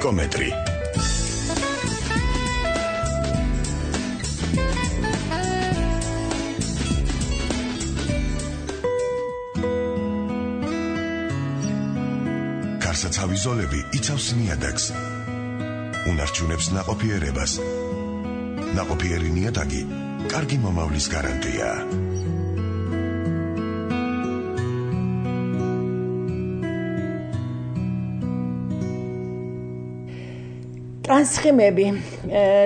ეკომეტრი. გარსაცავი ზოლები იცავს ნიადაგს. უნარჩუნებს ნაყოფიერებას. ნაყოფიერი ნიადაგი კარგი მომავლის გარანტია. ტრანსხიმები.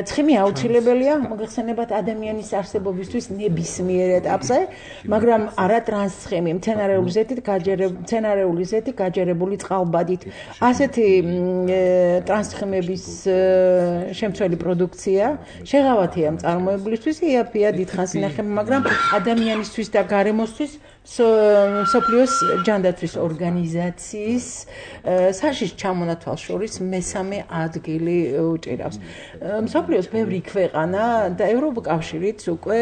ცხიმი აუცილებელია მოგეხსენებათ ადამიანის არსებობისთვის ნებისმიერ ეტაპზე, მაგრამ არა ტრანსხიმი, მცენარეული ზეთი გაჯერებული წყალბადით. ასეთი ტრანსხიმების შემცველი პროდუქცია შეღავათია მწარმოებლისთვის, იაფია დიდხანს ინახება, მაგრამ ადამიანისთვის და გარემოსთვის მსოფლიოს ჯანდაცვის ორგანიზაციის საშიშ ჩამონათვალს შორის მესამე ადგილი უჭირავს. მსოფლიოს ბევრი ქვეყანა და ევროკავშირიც უკვე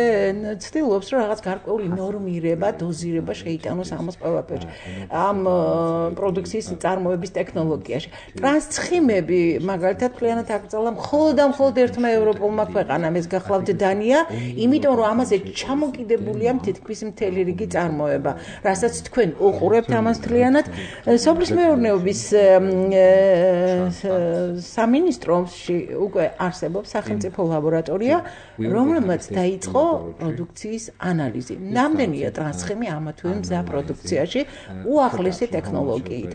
ცდილობს, რომ რაღაც გარკვეული ნორმირება, დოზირება შეიტანოს ამას ყველაფერში. ამ პროდუქციის წარმოების ტექნოლოგიაში. ტრანსცხიმები მაგალითად მთლიანად აკრძალა მხოლოდ ერთმა ევროპულმა ქვეყანამ, ეს გახლავთ დანია, იმიტომ რომ ამაზე ჩამოკიდებულია თითქმის მთელი რიგი წარმოება. რასაც თქვენ უყურებთ ამას მთლიანად სოფლის მეურნეობის სამინისტროში უკვე არსებობს სახელმწიფო ლაბორატორია, რომელმაც დაიწყო პროდუქციის ანალიზი. ნამდვილია ტრანსხიმი ამა თუ იმ მზა პროდუქციაში უახლესი ტექნოლოგიით.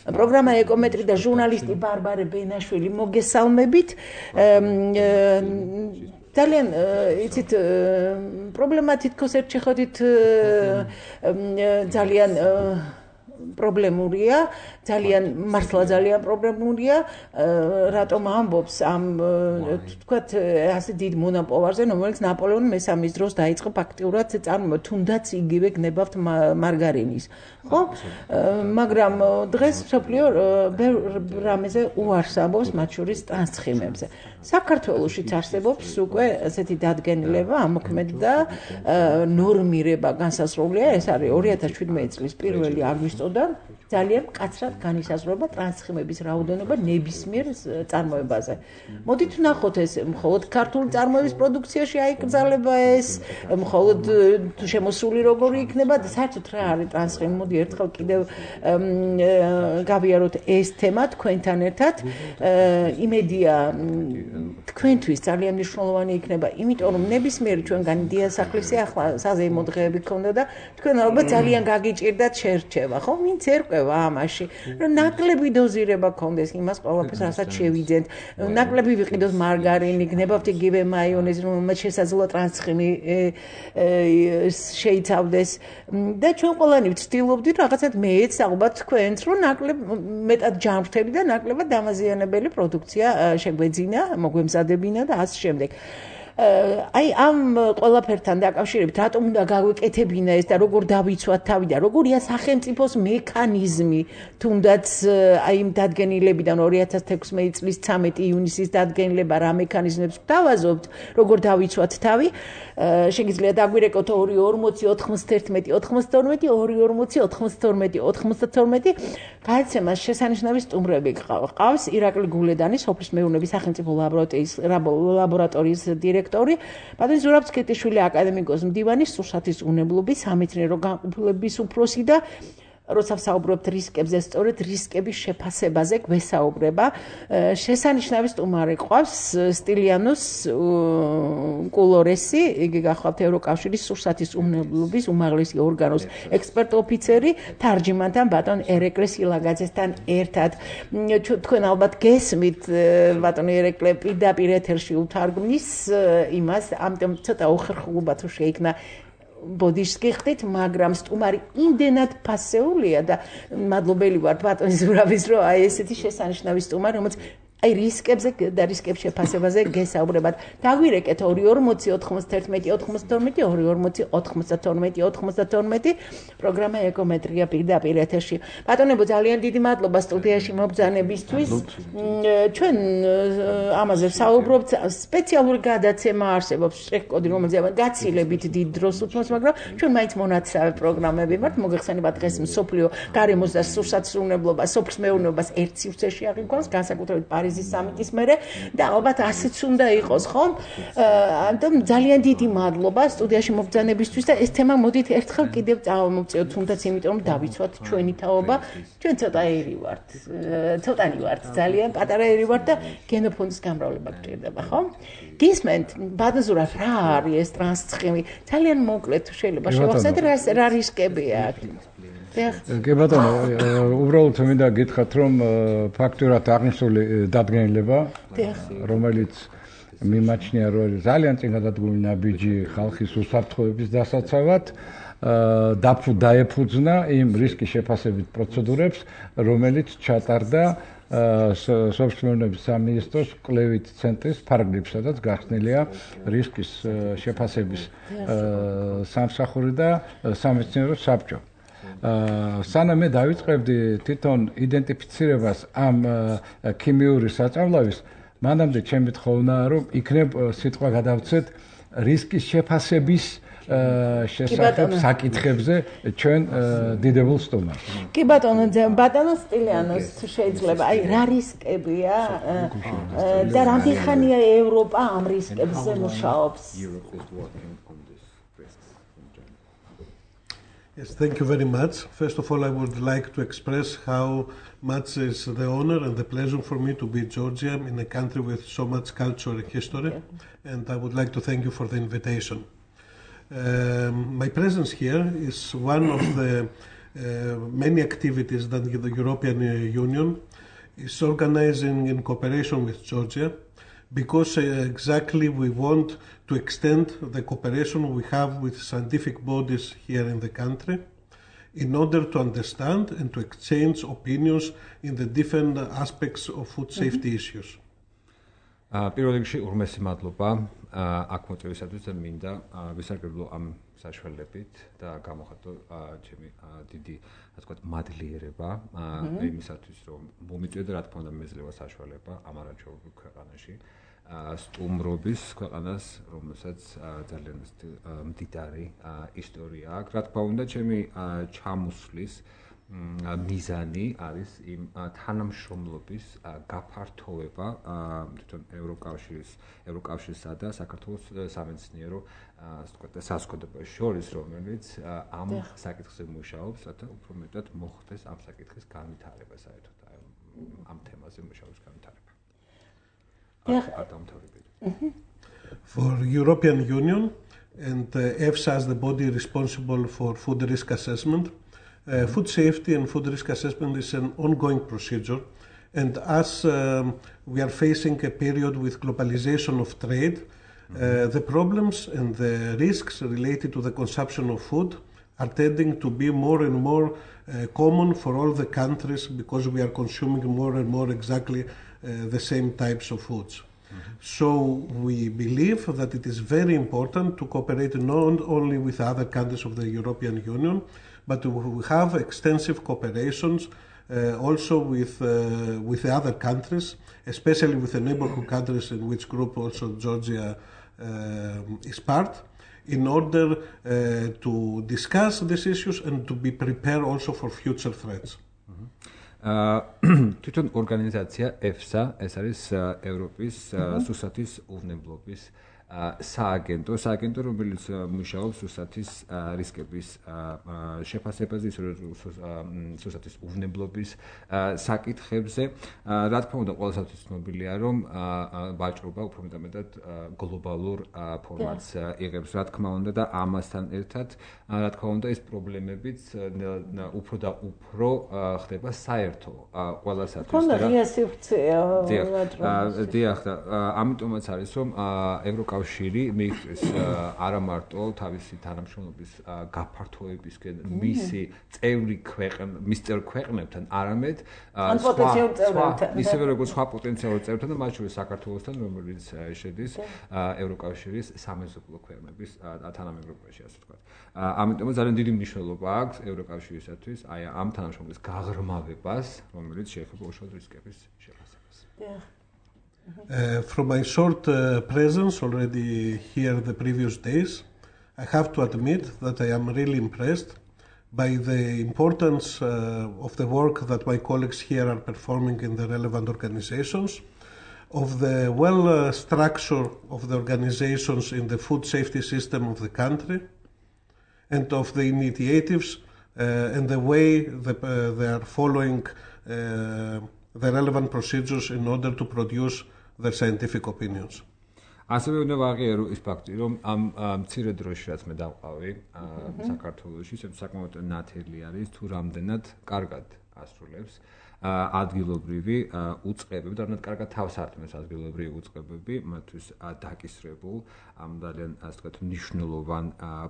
პროგრამა ეკომეტრი და ჟურნალისტი ბარბარე ბენაშვილი მოგესალმებით. ძალიან იცით პრობლემა თითქოს ერთ შეხედვით ძალიან პრობლემურია, მართლა ძალიან პრობლემურია, რატომ ამბობს ამ თქვათ ასე დიდ მონოპოვარზე, რომელიც ნაპოლეონ მესამის დროს დაიწყო ფაქტიურად წარმოება, თუნდაც იგივე გნებავთ მარგარინის. ხო? მაგრამ დღეს მსოფლიო რამეზე უარს ამბობს, მათ შორის ტრანსხიმებზე. საქართველოშიც არსებობს უკვე ასეთი დადგენილება, ამოქმედა ნორმირება განსაზღვრულია, ეს არის 2017 წლის 1 აგვისტოდან ძალიან მკაცრად განისაზღვრება ტრანსხიმების რაოდენობა ნებისმიერ წარმოებაზე. მოდით ვნახოთ ეს მხოლოდ ქართული წარმოების პროდუქციაში აიკრძალება ეს, მხოლოდ შემოსული როგორი იქნება, საერთოდ რა არის ტრანსხიმი. მოდი ერთხელ კიდევ გავიაროთ ეს თემა თქვენთან ერთად. იმედია თქვენთვის ძალიან მნიშვნელოვანი იქნება, იმიტომ რომ ნებისმიერი ჩვენგანი დიასახლისი ახლა საზეიმო დღეები ქონდა და თქვენ ალბათ ძალიან გაგიჭირდათ შერჩევა, ხო? ვინც ერკვევა ამაში, რომ ნაკლები დოზირება ქონდეს იმას ყველაფერს, რასაც შევიძენთ. ნაკლები ვიყიდოთ მარგარინი, გნებავთ იგივე მაიონეზი, რომელმაც შესაძლოა ტრანსხიმი შეიცავდეს და ჩვენ ყველანი ვცდილობდით რაღაცად მეც ალბათ თქვენც, რომ ნაკლებ მეტად ჯანმრთელი და ნაკლებად დამაზიანებელი პროდუქცია შეგვეძინა, მოგვემზადებინა და ასე შემდეგ. აი ამ ყველაფერთან დაკავშირებით რატომ უნდა გავეკეთებინა ეს და როგორ დავიცვათ თავი და როგორია სახელმწიფოს მექანიზმი თუნდაც აი იმ დადგენილებიდან 2016 წლის 13 ივნისის დადგენილება რა მექანიზმებს გვთავაზობთ, როგორ დავიცვათ თავი, შეგიძლია დაგვირეკოთ 240 91 92 240 92 92 გადაცემას შესანიშნავი სტუმრები ყავს ირაკლი გულედანი, სოფლის მეურნეობის სახელმწიფო ლაბორატორიის დირექტორი, ბატონი ზურაბ სქეთიშვილი, აკადემიკოს მდივანი, სურსათის უნებლობის სამეცნიერო განყოფილების უფროსი და როცა ვსაუბრობთ რისკებზე, სწორედ რისკების შეფასებაზე გვესაუბრება. შესანიშნავი სტუმარი ყავს სტილიანოს კულორესი, იგი გახლავთ ევროკავშირის სურსათის უნებლობის უმაღლესი ორგანოს ექსპერტ ოფიცერი, თარჯიმანთან ბატონ ერეკლე სილაგაძესთან ერთად. თქვენ ალბათ გესმით ბატონ ერეკლე პირდაპირ ეთერში უთარგმნის იმას, ამიტომ ცოტა უხერხულობათ რომ შეიქმნა ბოდიშს გიხდით, მაგრამ სტუმარი იმდენად ფასეულია და მადლობელი ვარ ბატონ ზურაბის, რომ აი ესეთი შესანიშნავი სტუმარი, რომელიც აი რისკებზე და რისკების შეფასებაზე გესაუბრებათ. დაგვირეკეთ 240 91 92 240 92 92 პროგრამა ეკომეტრია პირდაპირ ეთერში. ბატონებო, ძალიან დიდი მადლობა სტუდიაში მობრძანებისთვის. ჩვენ ამაზე ვსაუბრობთ, სპეციალური გადაცემა არსებობს, შეკოდი, რომელზეც გაცილებით დიდ დროს უთმობს, მაგრამ ჩვენ მაინც მონაცრავე პროგრამები ვართ. მოგეხსენებათ დღეს მსოფლიო გარემოს და სურსათის უნებლობას, სოფლის მეურნეობას ერთ სივრცეში აღიქვამს, განსაკუთრებით პარიზის სამიტის მერე და ალბათ ასეც უნდა იყოს, ხომ? ამიტომ ძალიან დიდი მადლობა სტუდიაში მობრძანებისთვის და ეს თემა მოდით ერთხელ კიდევ წავამოვწევთ, თუნდაც იმიტომ რომ დავიცვათ ჩვენი თაობა. ჩვენ ცოტა ერი ვართ. ცოტანი ვართ, ძალიან პატარა ერი ვართ და გენოფონდის გამრავლება გჭირდება, ხო? გისმენთ, ბადაზურად რა არის ეს ტრანსცხიმი? ძალიან მოკლედ შეიძლება შევახსენოთ რა რისკებია აქ. კი ბატონო, უბრალოდ მინდა გითხრათ, რომ ფაქტურად აღნიშნული დადგენილება, რომელიც მიმაჩნია, რომ ძალიან წინ გადადგმული ნაბიჯი ხალხის უსაფრთხოების დასაცავად დაეფუძნა იმ რისკის შეფასებით პროცედურებს, რომელიც ჩატარდა სოფლის სამინისტროს კვლევით ცენტრის ფარგლებში, სადაც გახსნილია რისკის შეფასების სამსახური და სამეცნიერო საბჭო. სანამ მე დავიწყებდი თვითონ იდენტიფიცირებას ამ ქიმიური საწავლავის, მანამდე ჩემი თხოვნაა, რომ იქნებ სიტყვა გადავცეთ რისკის შეფასების შესახებ საკითხებზე ჩვენ დიდებულ სტუმარს. კი ბატონო, ბატონო სტილიანოს შეიძლება, აი რა რისკებია და რამდენი ხანია ევროპა ამ რისკებზე მუშაობს? Yes, thank you very much. First of all, I would like to express how much is the honor and the pleasure for me to be in Georgia, in a country with so much culture and history, and I would like to thank you for the invitation. My presence here is one of the many activities that the European Union is organizing in cooperation with Georgia, because exactly we want to extend the cooperation we have with scientific bodies here in the country in order to understand and to exchange opinions in the different aspects of food safety issues. პირველ რიგში ურმესი მადლობა აქ მოწვევისათვის და მინდა ვისარგებლო ამ საშუალებით და გამოხატო ჩემი დიდი ასე ვთქვათ მადლიერება იმისათვის რომ მომიწვია და რა თქმა უნდა მეძლევა საშუალება ამ არაჩვეულებრივ ქვეყანაში სტუმრობის ქვეყანას, რომელსაც ძალიან მდიდარი ისტორია აქვს. რა თქმა უნდა, ჩემი ჩამოსვლის მიზანი არის იმ თანამშრომლობის გაფართოვება თვითონ ევროკავშირსა და საქართველოს სამეცნიერო ასე ვთქვათ საზოგადოებას შორის, რომელიც ამ საკითხზე მუშაობს, რათა უფრო მეტად მოხდეს ამ საკითხის განვითარება საერთოდ ამ თემაზე მუშაობის განვითარება. For European Union and EFSA as the body responsible for food risk assessment, food safety and food risk assessment is an ongoing procedure, and as we are facing a period with globalization of trade, the problems and the risks related to the consumption of food are tending to be more and more common for all the countries, because we are consuming more and more exactly the same types of foods. So we believe that it is very important to cooperate not only with other countries of the European Union, but we have extensive cooperations also with the other countries, especially with the neighborhood countries, in which group also Georgia is part, in order to discuss these issues and to be prepared also for future threats. თვითონ ორგანიზაცია EFSA, ეს არის ევროპის სუსათის უვნებლობის სააგენტო, რომელიც მუშაობს სუსათის რისკების შეფასებაზე, სუსათის უვნებლობის საკითხებზე. რა თქმა უნდა, ყველასათვის ცნობილია, რომ ვაჭრობა უფრო მეტად გლობალურ ფორმატს იღებს, რა თქმა უნდა, და ამასთან ერთად, რა თქმა უნდა, ეს პრობლემებიც უფრო და უფრო ხდება საერთო ყველასათვის. თქონდა ღია სივრცეა. დიახ, ამიტომაც არის, რომ ევროკავშირი მიიღწევს არა მარტო თავისი თანამშრომლობის გაფართოებისკენ მისი წევრი ქვეყნებთან, არამედ ისევე როგორც სხვა პოტენციალურ წევრებთან და მათ შორის საქართველოსთან, რომელიც შედის ევროკავშირის სამეზობლო ქვეყნების თანამეგობრობაში, ასე ვთქვათ. ამიტომ ძალიან დიდი მნიშვნელობა აქვს ევროკავშირისათვის აი ამ თანამშრომლობის გაღრმავებას, რომელიც შეეხება უშუალოდ რისკების შეფასებას. From my short presence already here the previous days, I have to admit that I am really impressed by the importance of the work that my colleagues here are performing in the relevant organizations, of the structure of the organizations in the food safety system of the country and of the initiatives and the way they are following the relevant procedures in order to produce their scientific opinions. ასევე უნდა ვაღიარო ის ფაქტი, რომ ამ მცირე დროში რაც მე დავყავი საქართველოში, საკმაოდ ნათელი არის თუ რამდენად კარგად ასრულებს ადგილობრივი უწყებები, რამდენად კარგად თავს არტყმებს ადგილობრივი უწყებები, მათთვის დაკისრებულ ამ ძალიან ასე ვთქვათ მნიშვნელოვან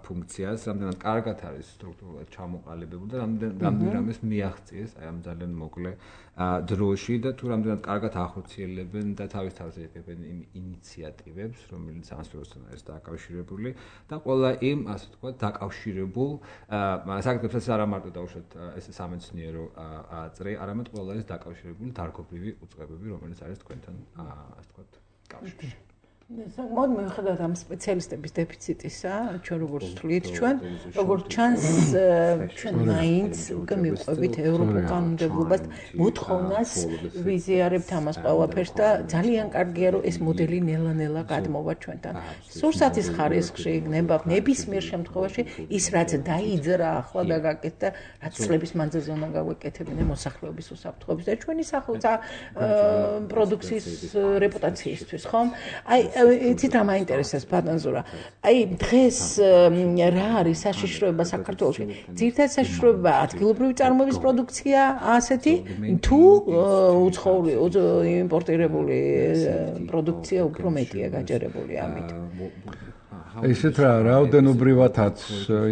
ფუნქციას, რამდენად კარგად არის სტრუქტურულად ჩამოყალიბებული და რამდენად რამეს მიაღწიეს აი ამ ძალიან მოკლე დროში და თუ რამდენად კარგად ახორციელებენ და თავის იღებენ იმ ინიციატივებს, რომელიც ამ სფეროსთან არის დაკავშირებული და ყველა იმ ასე ვთქვათ დაკავშირებულ საკითხებსაც არა მარტო დაუშვათ ეს სამეცნიერო წრე, არამედ ყველა ის დაკავშირებული დარგობრივი უწყებები, რომელიც არის თქვენთან ასე ვთქვათ კავშირში. საკმაოდ მიუხედავად ამ სპეციალისტების დეფიციტისა, ჩვენ როგორც ვთვლით, როგორც ჩანს, ჩვენ მაინც უკვე მივყვებით ევროპულ კანონმდებლობას, მოთხოვნას ვიზიარებთ ამას ყველაფერს და ძალიან კარგია, რომ ეს მოდელი ნელა-ნელა გადმოვა ჩვენთან. სურსათის ხარისხში იქნება ნებისმიერ შემთხვევაში ის რაც დაიძრა ახლა და გაკეთდა, რაც წლების მანძილზე უნდა გავეკეთებინე მოსახლეობის უსაფრთხოების და ჩვენი პროდუქციის რეპუტაციისთვის, ხომ? იცით რა მაინტერესებს ბატონზურა. აი დღეს რა არის საშიშროება საქართველოში? ძირითადად საშიშროება ადგილობრივი წარმოების პროდუქცია ასეთი თუ უცხოური იმპორტირებული პროდუქცია უფრო მეტია გაჯერებული ამით. ისეთ რაოდენობრივადაც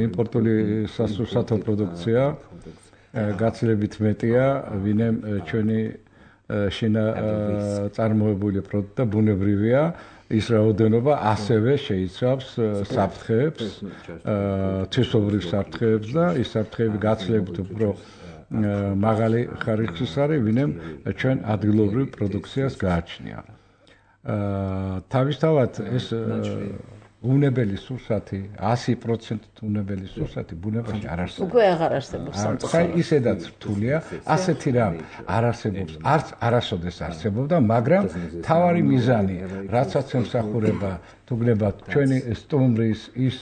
იმპორტული სასურსათო პროდუქცია გაცილებით მეტია, ვინემ ჩვენი შინა წარმოებული პროდუქტი და ბუნებრივია. ის რაოდენობა ასევე შეიცავს საფრთხეებს, თვისობრივ საფრთხეებს და ის საფრთხეები გაცილებით უფრო მაღალი ხარისხის არის, ვინემ ჩვენ ადგილობრივ პროდუქციას გააჩნია. თავისთავად ეს უნებელი სურსათი 100% უნებელი სურსათი ბუნებაში არ არსებობს. უკვე აღარ არსებობს სამწუხაროდ. ისედაც რთულია, ასეთი რამ არ არსებობს, არც არასოდეს არსებობდა, მაგრამ თავარი მიზანი, რაცაც ემსახურება, თუ გნებათ, ჩვენი სტუმრის ის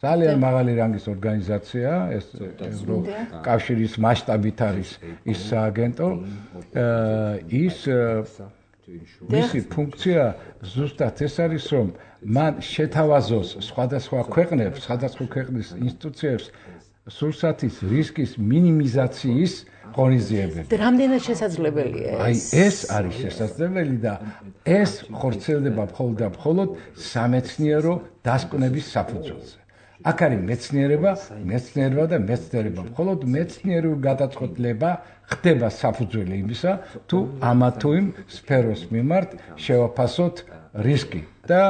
ძალიან მაღალი რანგის ორგანიზაცია, ეს ევროკავშირის მასშტაბით არის ის სააგენტო, ის მისი ფუნქცია ზუსტად ეს არის, რომ მან შეთავაზოს სხვადასხვა ქვეყნის ინსტიტუციებს სურსათის რისკის მინიმიზაციის ღონისძიებები. რამდენად შესაძლებელია ეს? აი ეს არის შესაძლებელი და ეს ხორციელდება მხოლოდ სამეცნიერო დასკვნების საფუძველზე. აქ არის მეცნიერება და მეცნიერება. მხოლოდ მეცნიერული გადაწყვეტილება ხდება საფუძველი იმისა, თუ ამა თუ იმ სფეროს მიმართ შევაფასოთ რისკი და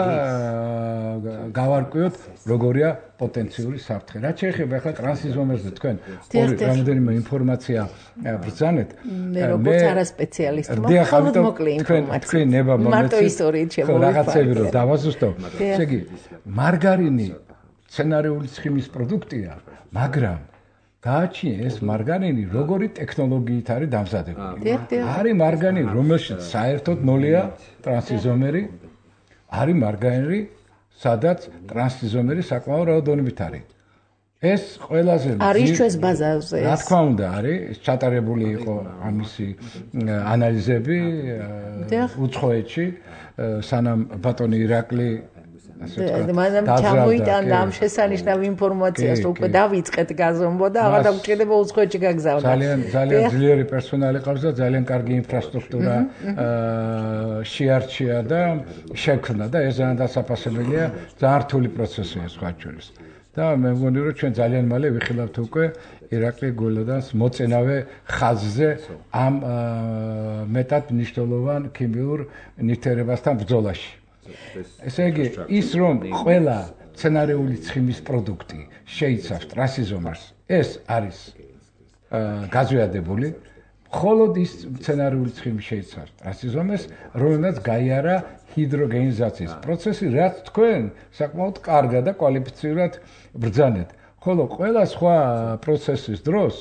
გავარკვიოთ როგორია პოტენციური საფრთხე. რაც შეეხება ახლა ტრანსიზომერზე თქვენ რამდენიმე ინფორმაცია ბრძანეთ. მე როგორც არასპეციალისტი მხოლოდ მოკლე ინფორმაცია. თქვენ ნება მარტო ისტორიით შემოვიფარგლე. რაღაცები რომ დავაზუსტო. ესე იგი მარგარინი სცენარიული ცხიმის პროდუქტია, მაგრამ გააჩნია ეს მარგარინი როგორი ტექნოლოგიით არის დამზადებული. არის მარგარინი, რომელშიც საერთოდ ნოლია ტრანსიზომერი, არის მარგარინი, სადაც ტრანსიზომერი საკმაო რაოდენობით არის. ეს ყველაზე არის ჩვენს ბაზარზე. რა თქმა უნდა, არის ჩატარებული იყო ამისი ანალიზები უცხოეთში, სანამ ბატონი ირაკლი მანამ ჩამოიტანდა ამ შესანიშნავ ინფორმაციას, უკვე დავიწყეთ გაზომვა და აღარ დაგჭირდება უცხოეთში გაგზავნა. ძალიან ძლიერი პერსონალი ყავს და ძალიან კარგი ინფრასტრუქტურა შეარჩია და შექმნა და ეს ძალიან დასაფასებელია, ძალიან რთული პროცესია სხვა შორის. და მე მგონი რომ ჩვენ ძალიან მალე ვიხილავთ უკვე ირაკლი გულადანს მოწინავე ხაზზე ამ მეტად მნიშვნელოვან ქიმიურ ნივთიერებასთან ბრძოლაში. ესე იგი, ის რომ ყველა სცენარიული ცხიმის პროდუქტი შეიცავს ტრანსიზომერს, ეს არის გაზვიადებული. მხოლოდ ის სცენარიული ცხიმი შეიცავს ტრანსიზომერს, რომელსაც გაიარა ჰიდროგენიზაციის პროცესი, რაც თქვენ საკმაოდ კარგად და კვალიფიცირებად ბრძანეთ. ხოლო ყველა სხვა პროცესის დროს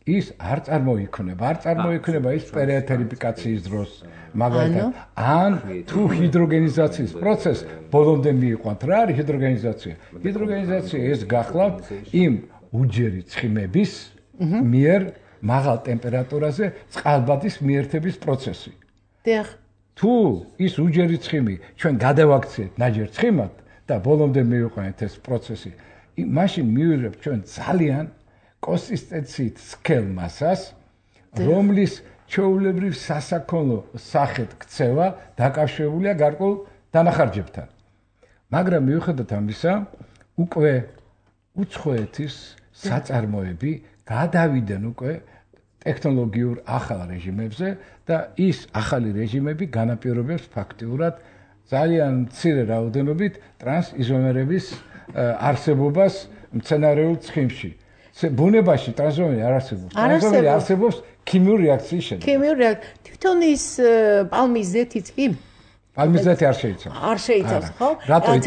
ის არ წარმოიქმნება ის პერიეთერიფიკაციის დროს მაგალითად ან თუ ჰიდროგენიზაციის პროცესს ბოლომდე მიიყვანთ რა არის ჰიდროგენიზაცია ეს გახლავთ იმ უჯერი ცხიმების მიერ მაღალ ტემპერატურაზე წყალბადის მიერთების პროცესი დიახ თუ ის უჯერი ცხიმი ჩვენ გადავაქციეთ ნაჯერ ცხიმად და ბოლომდე მივიყვანეთ ეს პროცესი მაშინ მივიღებთ ჩვენ ძალიან კონსისტენციით სქელ მასას რომლის ჩვეულებრივ სასაქონლო სახეთ ქცევა დაკავშირებულია გარკვეულ დანახარჯებთან მაგრამ მიუხედავად ამისა უკვე უცხოეთის საწარმოები გადავიდნენ უკვე ტექნოლოგიურ ახალ რეჟიმებზე და ის ახალი რეჟიმები განაპირობებს ფაქტიურად ძალიან მცირე რაოდენობით ტრანსიზომერების არსებობას მცენარეულ ცხიმში. ბუნებაში ტრანსიზომერი არ არსებობს. ტრანსიზომერი არსებობს ქიმიური რეაქციის შედეგად. ქიმიური რეაქცია. თვითონ ის პალმის ზეთიც კი პალმის ზეთი არ შეიცავს. არ შეიცავს, ხო?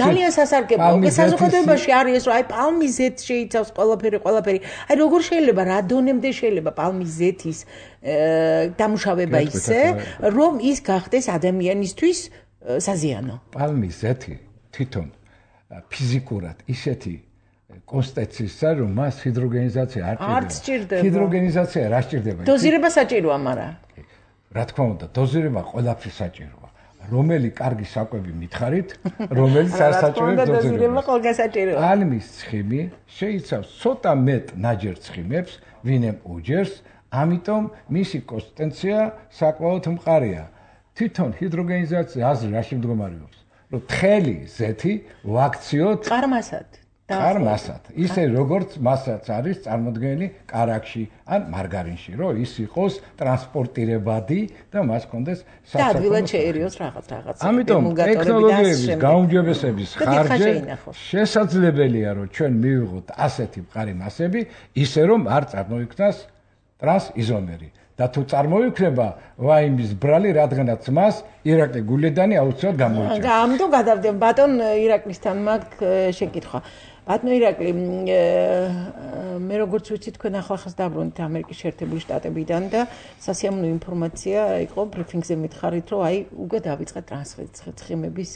ძალიან სასარგებლოა. საზოგადოებაში არის ეს, რომ აი პალმის ზეთი შეიცავს ყველაფერი. აი როგორ შეიძლება რა დონემდე შეიძლება პალმის ზეთის დამუშავება ისე, რომ ის გახდეს ადამიანისთვის საზიანო. პალმის ზეთი თვითონ ფიზიკურად ისეთი კონსტენციისა, რომ მას ჰიდროგენიზაცია არ სჭირდება. ჰიდროგენიზაცია რა სჭირდება? დოზირება საჭიროა, მაგრამ რა თქმა უნდა, დოზირება ყველაფრის საჭიროა. რომელი კარგი საკვები მითხარით, რომელიც არ საჭიროებს დოზირება ყველგან საჭიროა. პალმის ცხიმი შეიცავს ცოტა მეტ ნაჯერ ცხიმებს, ვინემ უჯერს, ამიტომ მისი კონსტენცია საკმაოდ მყარია. თვითონ ჰიდროგენიზაცია აზრი რაში მდგომარეობს? რომ თხელი ზეთი ვაქციოთ ყარმასად. ისე როგორც მასაც არის წარმოდგენილი კარაქში ან მარგარინში, რომ ის იყოს ტრანსპორტირებადი და მას კონდეს და ადვილად შეერიოს რაღაც. ამიტომ ტექნოლოგიების გაუმჯობესების ხარჯზე შესაძლებელია, რომ ჩვენ მივიღოთ ასეთი მყარი მასები, ისე რომ არ წარმოიქმნას ტრანსიზომერი. და თუ წარმოიქმნება ვაიმის ბრალი, რადგანაც მას ირაკლი გულედანი აუცილებლად გამოიჭრება. ამიტომ გადავდებ ბატონ ირაკლისთან მაქვს შეკითხვა. ბატონ ირაკლი, მე როგორც ვიცი თქვენ ახლახანს დაბრუნდით ამერიკის შეერთებული შტატებიდან და სასიამოვნო ინფორმაცია იყო ბრიფინგზე მითხარით, რომ აი უკვე დაიწყა ტრანსცხიმების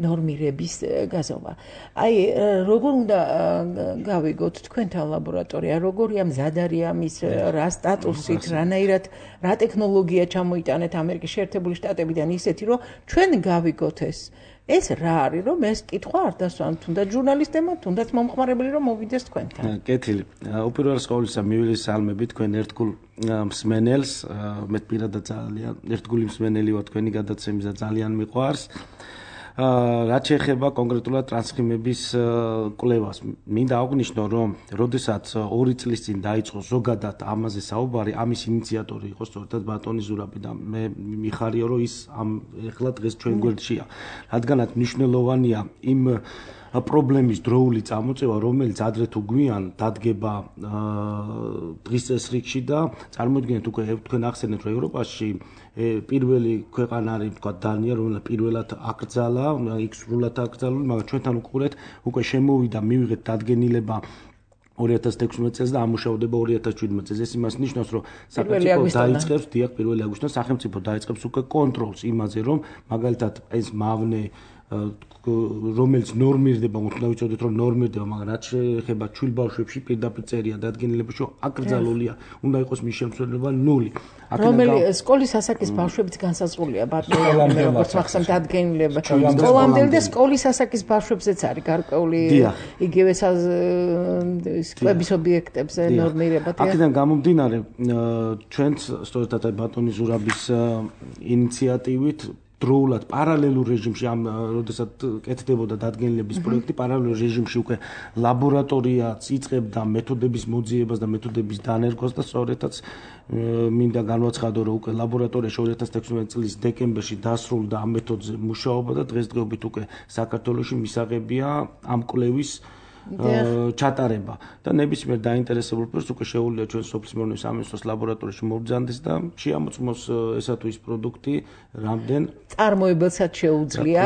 ნორმირების გაზომა. აი როგორ უნდა გავიგოთ თქვენთან ლაბორატორია, როგორია მზადარი ამის რა სტატუსით, რანაირად რა ტექნოლოგია ჩამოიტანეთ ამერიკის შეერთებული შტატებიდან ისეთი, რომ ჩვენ გავიგოთ ეს რა არის, რომ ეს კითხვა არ დასვან, თუნდაც ჟურნალისტებმა, თუნდაც მომხმარებელი რომ მოვიდეს თქვენთან. კეთილი. უპირველეს ყოვლისა მივილისალმები თქვენ ერთგულ მსმენელს, მე პირადად ძალიან ერთგული მსმენელი ვარ თქვენი გადაცემის და ძალიან მიყვარს. რაც შეეხება კონკრეტულად ტრანსცხიმების კვლევას, მინდა აღვნიშნო, რომ როდესაც 2 წლის წინ დაიწყო ზოგადად ამაზე საუბარი, ამის ინიციატორი იყო სწორედ ბატონი ზურაბი და მე მიხარია, რომ ის ეხლა დღეს ჩვენ გვერდშია. რადგანაც მნიშვნელოვანია იმ პრობლემის დროული წამოწევა, რომელიც ადრე თუ გვიან დადგება დღის წესრიგში და წარმოიდგინეთ უკვე თქვენ ახსენეთ, რომ ევროპაში პირველი ქვეყანა არის თქვა დანია, რომელიც პირველად აკრძალა, იქ სრულად აკრძალული, მაგრამ ჩვენთან უყურეთ, უკვე შემოვიდა, მივიღეთ დადგენილება 2016 წელს და ამუშავდება 2017 წელს. ეს იმას ნიშნავს, რომ სახელმწიფო დაიწყებს, დიახ, 1 აგვისტოდან სახელმწიფო დაიწყებს უკვე კონტროლს იმაზე, რომ მაგალითად ეს მავნე რომელიც ნორმირდება, უნდა ვიცოდეთ, რომ ნორმირდება, მაგრამ რაც შეეხება ჩვილ ბავშვებში პირდაპირ წერია დადგენილებაში, რომ აკრძალულია, უნდა იყოს მის შემცველობა 0. რომელი სკოლის ასაკის ბავშვებიც განსაზღვრულია, ბატონო, როგორც მახსოვს დადგენილება. სკოლამდელი და სკოლის ასაკის ბავშვებზეც არის გარკვეული იგივე სკვების ობიექტებზე ნორმირება. აქედან გამომდინარე, ჩვენც სწორედ ბატონი ზურაბის ინიციატივით დროულად პარალელურ რეჟიმში როდესაც კეთდებოდა დადგენილების პროექტი პარალელურ რეჟიმში უკვე ლაბორატორიაც იწყებდა მეთოდების მოძიებას და მეთოდების დანერგვას და სწორედაც მინდა განვაცხადო რომ უკვე ლაბორატორიაში 2016 წლის დეკემბერში დასრულდა ამ მეთოდზე მუშაობა და დღესდღეობით უკვე საქართველოში მისაღებია ამ კვლევის ჩატარება და ნებისმიერ დაინტერესებულ პირს უკვე შეუძლია ჩვენ სოფლის მეურნეობის სამინისტროს ლაბორატორიაში მობრძანდეს და შეამოწმოს ესა თუ ის პროდუქტი რამდენ წარმოებელსაც შეუძლია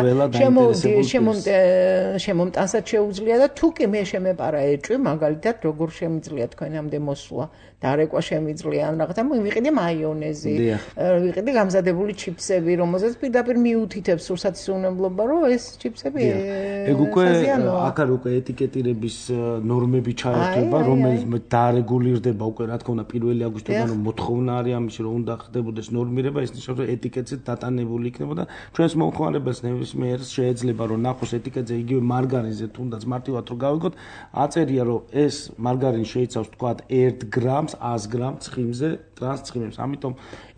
შემომტანსაც შეუძლია და თუ კი მე შემეპარა ეჭვი მაგალითად როგორ შემიძლია თქვენამდე მოსვლა დარეკვა შემიძლია ან რაღაცა ვიყიდე მაიონეზი ვიყიდე გამზადებული ჩიფსები რომელსაც პირდაპირ მიუთითებს სურსათის უნებლობა რომ ეს ჩიფსები ეგ უკვე აქ არის უკვე ეტიკეტირების ნორმები ჩაერთვება რომელიც დარეგულირდება უკვე რა თქმა უნდა 1 აგვისტოდან რომ მოთხოვნა არის ამის რომ უნდა ხდებოდეს ნორმირება ეს ნიშნავს რომ ეტიკეტზე დატანებული იქნებოდა ჩვენს მომხმარებელს ნებისმიერს შეიძლება რომ ნახოს ეტიკეტზე იგივე მარგარინზე თუნდაც მარტივად რომ გავიგოთ აწერია რომ ეს მარგარინი შეიცავს თქვათ 1 გრამს 100 გრამ ცხიმზე ტრანს ცხიმებს ამიტომ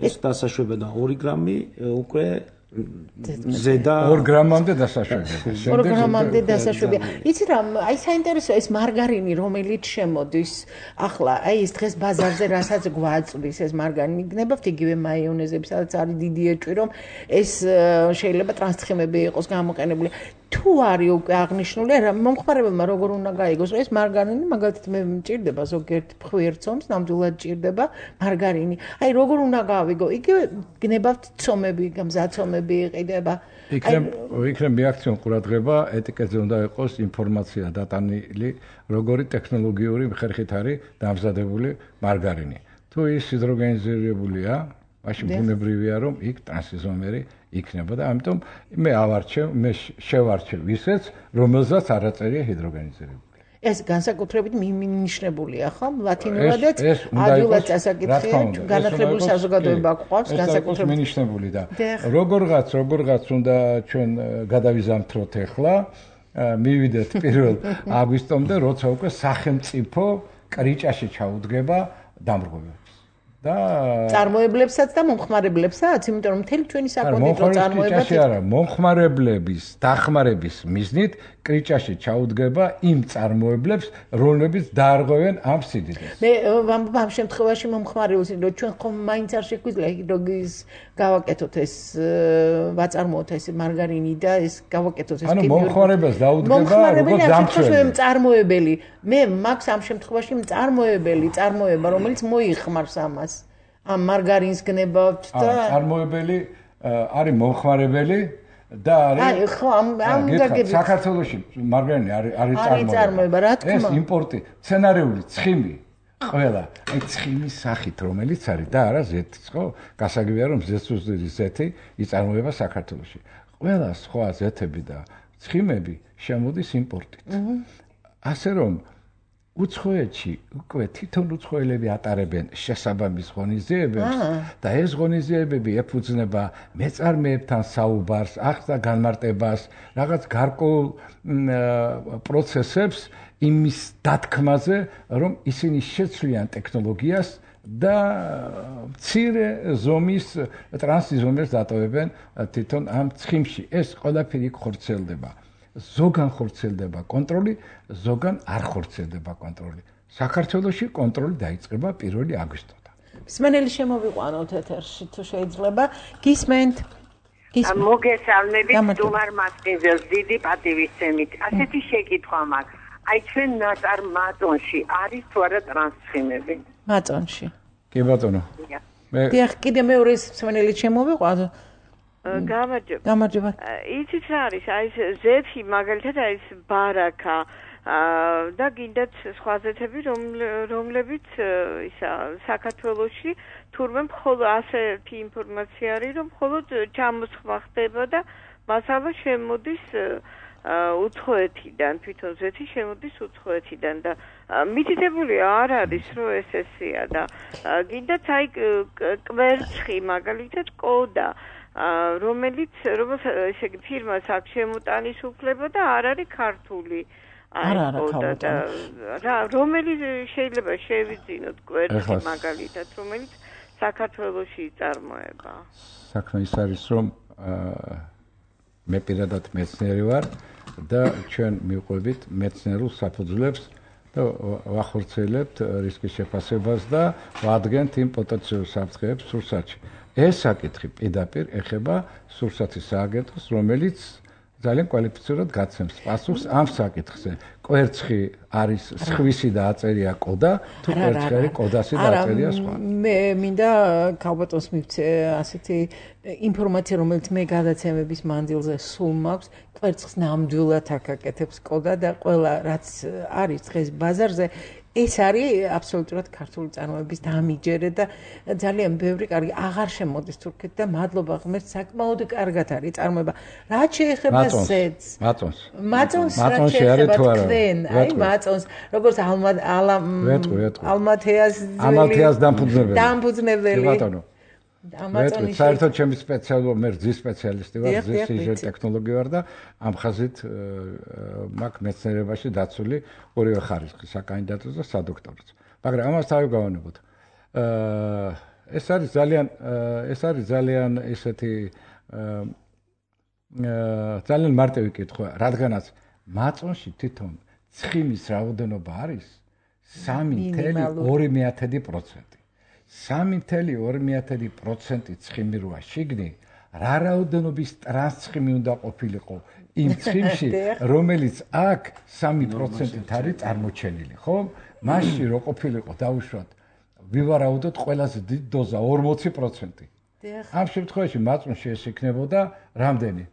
ეს დასაშვება და 2 გრამი უკვე ზედა 2 გრამამდე დასაშვებია. 2 გრამამდე დასაშვებია. იცი რა, აი საინტერესოა ეს მარგარინი რომელიც შემოდის. ახლა აი ეს დღეს ბაზარზე რასაც გვაწვდის ეს მარგარინი გნებავთ იგივე მაიონეზები, სადაც არის დიდი ეჭვი რომ ეს შეიძლება ტრანსცხიმები იყოს გამოყენებული. თუ არის უკვე აღნიშნული რა მომხმარებელმა როგორ უნდა გაიგოს რომ ეს მარგარინი მაგალითად მე მჭირდება ზოგიერთ ხვიერთცომს ნამდვილად ჭირდება მარგარინი. აი როგორ უნდა გავიგო? იგივე გნებავთ ცომები, გამზაცომები იყიდება. იქნებ რეაქციონ ყურადღება ეტიკეტზე უნდა იყოს ინფორმაცია დატანილი როგორი ტექნოლოგიური ხერხით არის დამზადებული მარგარინი. თუ ის ჰიდროგენიზირებულია მაშინ ბუნებრივია რომ იქ ტრანსიზომერი იქნება და ამიტომ მე შევარჩევ ისეც რომელზეც არ აწერია ჰიდროგენიზირებული. ეს განსაკუთრებით მინიშნებულია ხო? ლათინურადაც ადვილად წასაკითხია, განათლებული საზოგადოება გვყავს განსაკუთრებით მინიშნებული და როგორღაც უნდა ჩვენ გადავიზამთროთ ახლა, მივიდეთ 1 აგვისტომდე, როცა უკვე სახელმწიფო კრიჭაში ჩაუდგება დამრღვევებს. და წარმოებლებსაც და მომხმარებლებსაც, იმიტომ რომ მთელი ჩვენი საკონდიტრო წარმოებაც არა, მომხმარებლების დახმარების მიზნით კრიჭაში ჩაუდგება იმ წარმოებლებს, რომლებიც დაარღვევენ ამ სიდიდეს. მე ამ შემთხვევაში მომხმარებელს, რომ ჩვენ ხომ მაინც არ შეგვიძლია ჰიდროგის გავაკეთოთ ეს ვაწარმოოთ ეს მარგარინი და ეს გავაკეთოთ ეს ანუ მომხმარებელს დაუდგება როგორც დამცველი წარმოებელი. მე მაქვს ამ შემთხვევაში წარმოება, რომელიც მოიხმარს ამას. ამ მარგარინს გნებავთ და წარმოებელი არის მომხმარებელი და არის ხო ამ გაგებით საქართველოში მარგარინი არის წარმოება რა თქმა ეს იმპორტი სცენარიული ცხიმი ყველა აი ცხიმის სახით რომელიც არის და არა ზეთის ხო გასაგებია რომ ზეთი იწარმოება საქართველოში ყველა სხვა ზეთები და ცხიმები შემოდის იმპორტით ასე რომ უცხოეთში უკვე თვითონ უცხოელები ატარებენ შესაბამის ღონისძიებებს და ეს ღონისძიებები ეფუძნება მეწარმეებთან საუბარს, ახსნა განმარტებას, რაღაც გარკვეულ პროცესებს იმის დათქმაზე, რომ ისინი შეცვლიან ტექნოლოგიას და მცირე ზომის ტრანსიზომერს დატოვებენ თვითონ ამ ცხიმში. ეს ყველაფერი ხორციელდება. ზოგან ხორციელდება კონტროლი, ზოგან არ ხორციელდება კონტროლი. საქართველოში კონტროლი დაიწყება 1 აგვისტოდან. მსმენელი შემოვიყვანოთ ეთერში თუ შეიძლება. გისმენთ? მოგესალმებით სტუმარ მასპინძელს დიდი პატივისცემით. ასეთი შეკითხვა მაქვს. აი ჩვენ ნაწარ მაწონში არის თუ არა ტრანსცხიმები? მაწონში. კი ბატონო. დიახ, კიდე მეორე მსმენელი შემოვიყვანოთ. გამარჯობა. იცით რა არის? აი ზეთი მაგალითად აი ეს ბარაკა და გინდათ სხვა ზეთები რომლებიც ისა საქართველოში თურმე მხოლოდ ასეთი ინფორმაცია არის რომ მხოლოდ ჩამოსხმა ხდება და მასალა შემოდის უცხოეთიდან თვითონ ზეთი შემოდის უცხოეთიდან და მითითებული არ არის რომ ესეა და გინდათ აი კვერცხი მაგალითად კოდა რომელიც ესე იგი ფირმას აქვს შემოტანის უფლება და არ არის ქართული რა რომელიც შეიძლება შევიძინოთ კვერცხი მაგალითად რომელიც საქართველოში იწარმოება საქმე ის არის რომ მე პირადად მეცნიერი ვარ და ჩვენ მივყვებით მეცნიერულ საფუძვლებს და ვახორციელებთ რისკის შეფასებას და ვადგენთ იმ პოტენციურ საფრთხეებს სურსათში. ეს საკითხი პირდაპირ ეხება სურსათის სააგენტოს, რომელიც ძალიან კვალიფიცირად გაცემს პასუხს ამ საკითხზე. კვერცხი არის სხვისი და აწერია კოდა, თუ კვერცხი არის კოდასი და აწერია სხვა. მე მინდა ქალბატონს მივცე ასეთი ინფორმაცია, რომელიც მე გადაცემების მანძილზე სულ მაქვს, კვერცხს ნამდვილად აკაკეთებს კოდა და ყველა რაც არის დღეს ბაზარზე ეს არის აბსოლუტურად ქართული წარმოების დამიჯერე და ძალიან ბევრი კარგი აღარ შემოდის თურქეთ და მადლობა ღმერთს საკმაოდ კარგად არის წარმოება. რაც შეეხება ზეთს. მაწონს რაც შეეხება თქვენ, აი მაწონს, როგორც ალმათეას დამფუძნებელი. ბატონო. ამაწონის საერთოდ ჩემი სპეციალობა მე რძის სპეციალისტი ვარ, რძის სიჟეტ ტექნოლოგი ვარ და ამ ხაზით მაქვს მეცნიერებაში დაცული ორივე ხარისხი, საკანდიდატოც და სადოქტოროც. მაგრამ ამას თავი გავანებოთ. ეს არის ძალიან ესეთი ძალიან მარტივი კითხვა, რადგანაც მაწონში თვითონ ცხიმის რაოდენობა არის 3.2%. 3.2% ცხიმი როა შიგნი, რა რაოდენობის ტრანსცხიმი უნდა ყოფილიყო იმ ცხიმში, რომელიც აქ 3%-ით არის წარმოჩენილი, ხო? მასში რო ყოფილიყო დავუშვათ, ვივარაუდოთ ყველაზე დიდი დოზა 40%. ამ შემთხვევაში მაწონში ეს იქნებოდა რამდენი?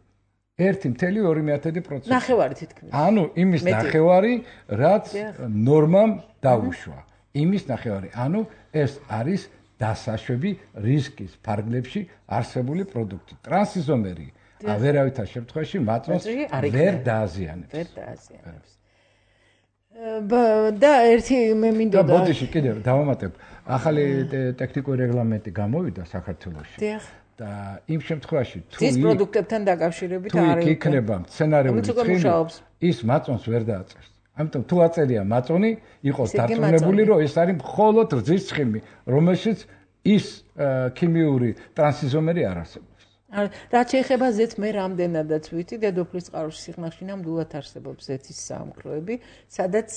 1.2%. ნახევარი თითქმის. ანუ იმის ნახევარი, რაც ნორმამ დაუშვა. იმის ნახევარი. ანუ ეს არის დასაშვები რისკის ფარგლებში არსებული პროდუქტი. ტრანსიზომერი ვერავითარ შემთხვევაში მაწონს ვერ დააზიანებს. და ერთი მე მინდოდა ბოდიში კიდევ დავამატებ. ახალი ტექნიკური რეგლამენტი გამოვიდა საქართველოში. და იმ შემთხვევაში თუ ის პროდუქტებთან დაკავშირებით არის იქნება სცენარიული ცხიმი ის მაწონს ვერ დააწერს. ამიტომ თუ აწერია მაწონი, იყოს დარწმუნებული, რომ ეს არის მხოლოდ რძის ცხიმი, რომელშიც ის ქიმიური ტრანსიზომერი არ არსებობს. რაც შეეხება ზეთს, მე რამდენადაც ვიცი, დედოფლის წყაროს სიღნაღში ნამდვილად არსებობს ზეთის საამქროები, სადაც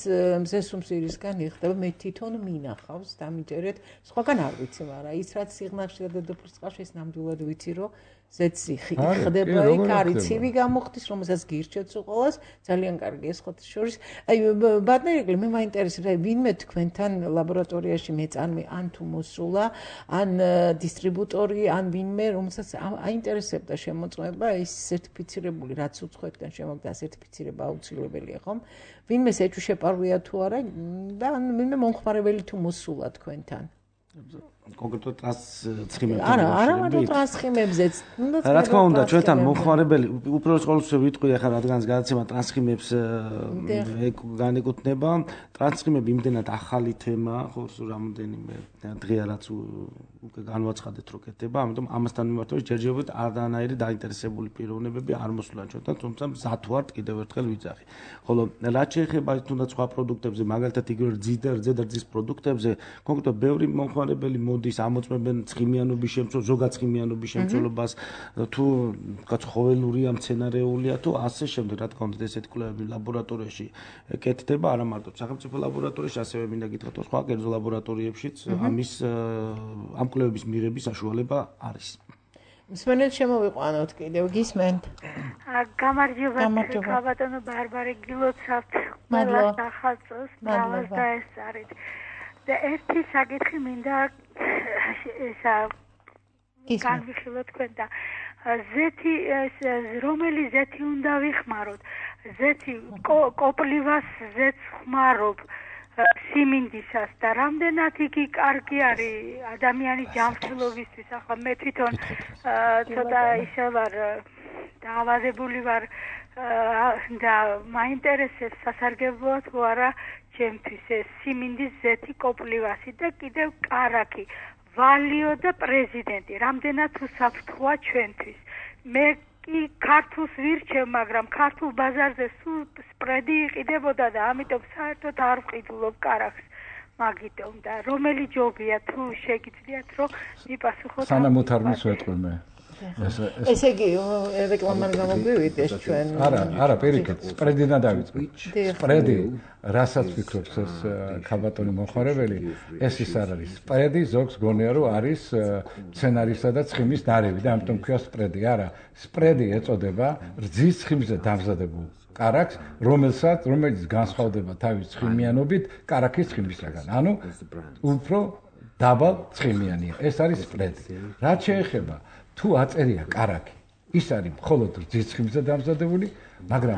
მზესუმსირისგან იხდება, მე თვითონ მინახავს დამიჯერეთ, სხვაგან არ vicი, მაგრამ ის რაც სიღნაღში და დედოფლის წყაროში ეს ნამდვილად ვიცი, რომ ზეთს იხდება, იქ არის ცივი გამოხდის, რომელსაც გირჩევთ უყოლას, ძალიან კარგი ეს ხოთის შორის. აი ბატონი, მე მაინტერესებს, აი ვინმე თქვენთან ლაბორატორიაში მეწარმე ან თუ მოსულა, ან დისტრიბუტორი, ან ვინმე, რომელსაც აინტერესებდა შემოწმება, ის სერტიფიცირებული რაც უცხოეთიდან შემოგდა სერტიფიცირება აუცილებელია, ხომ? ვინმეს ეჭვშეპარვია თუ არა და ან ვინმე მომხმარებელი თუ მოსულა თქვენთან. კონკრეტულად ტრანსცხიმებზე. არა, ტრანსცხიმებზეც. რა თქმა უნდა, ჩვენთან მომხმარებელი უბრალოდ ყოველთვის ვიტყვი ახლა რადგანაც გადაცემა ტრანსცხიმებს განეკუთვნება. ტრანსცხიმები იმდენად ახალი თემა, ხო, რამოდენიმე დღეა რაც უკვე განვაცხადეთ რო კეთდება, ამიტომ ამასთან მიმართებით ჯერჯერობით არანაირი დაინტერესებული პიროვნებები არ მოსულა ჩვენთან, თუმცა მზად ვართ კიდევ ერთხელ ვიძახი. ხოლო რაც შეეხება თუნდაც სხვა პროდუქტებზე, მაგალითად იგივე რძე და რძის პროდუქტებზე, კონკრეტულად ბევრი მომხმარებელი მოდის ამოწმებენ ცხიმიანობის შემცველობას, ზოგად ცხიმიანობის შემცველობას, თუ ხოველურია, მცენარეულია, თუ ასე შემდეგ, რა თქმა უნდა, ესეთი კვლევები ლაბორატორიაში კეთდება, არა მარტო სახელმწიფო ლაბორატორიაში, ასევე მინდა გითხრათ, სხვა კერძო ლაბორატორიებშიც ამის ამ კვლევების მიღების საშუალება არის. მსმენელს შემოვიყვანოთ კიდევ, გისმენთ? გამარჯობა, ბატონო ბარბარე, გილოცავთ ყველა სახალწოს, მრავალს დაესწარით. და ერთი საკითხი მინდა ესა განვიხილოთ თქვენ და ზეთი რომელი ზეთი უნდა ვიხმაროთ? ზეთი კოპლივას ზეთს ხმარობ სიმინდისას და რამდენად იგი კარგი არის ადამიანის ჯანმრთელობისთვის. ახლა მე თვითონ ცოტა ისე ვარ დაავადებული ვარ და მაინტერესებს სასარგებლოა თუ არა ჩემთვის ეს სიმინდის ზეთი კოპლივასი და კიდევ კარაკი ვალიო და პრეზიდენტი რამდენად უსაფრთხოა ჩვენთვის. მე კი ქართულს ვირჩევ, მაგრამ ქართულ ბაზარზე სულ სპრედი იყიდებოდა და ამიტომ საერთოდ არ ვყიდულობ კარაკს. მაგიტომ და რომელი ჯობია თუ შეგიძლიათ რომ მიპასუხოთ. სანამ უთარმის ვეტყვი მე. ესე იგი რეკლამამ გამოგვივიდა ეს ჩვენ. არა, პირიქით, სპრედიდან დავიწყე. სპრედი, რასაც ვფიქრობს ეს ქალბატონი მომხმარებელი, ეს ის არ არის. სპრედი ზოგს გონია რომ არის სცენარისა და ცხიმის ნარევი და ამიტომ ქვია სპრედი. არა, სპრედი ეწოდება რძის ცხიმზე დამზადებულ კარაქს, რომელიც განსხვავდება თავის ცხიმიანობით კარაქის ცხიმისაგან. ანუ უფრო დაბალ ცხიმიანია. ეს არის სპრედი. რაც შეეხება თუ აწერია კარაქი, ის არის მხოლოდ რძის ცხიმზე დამზადებული, მაგრამ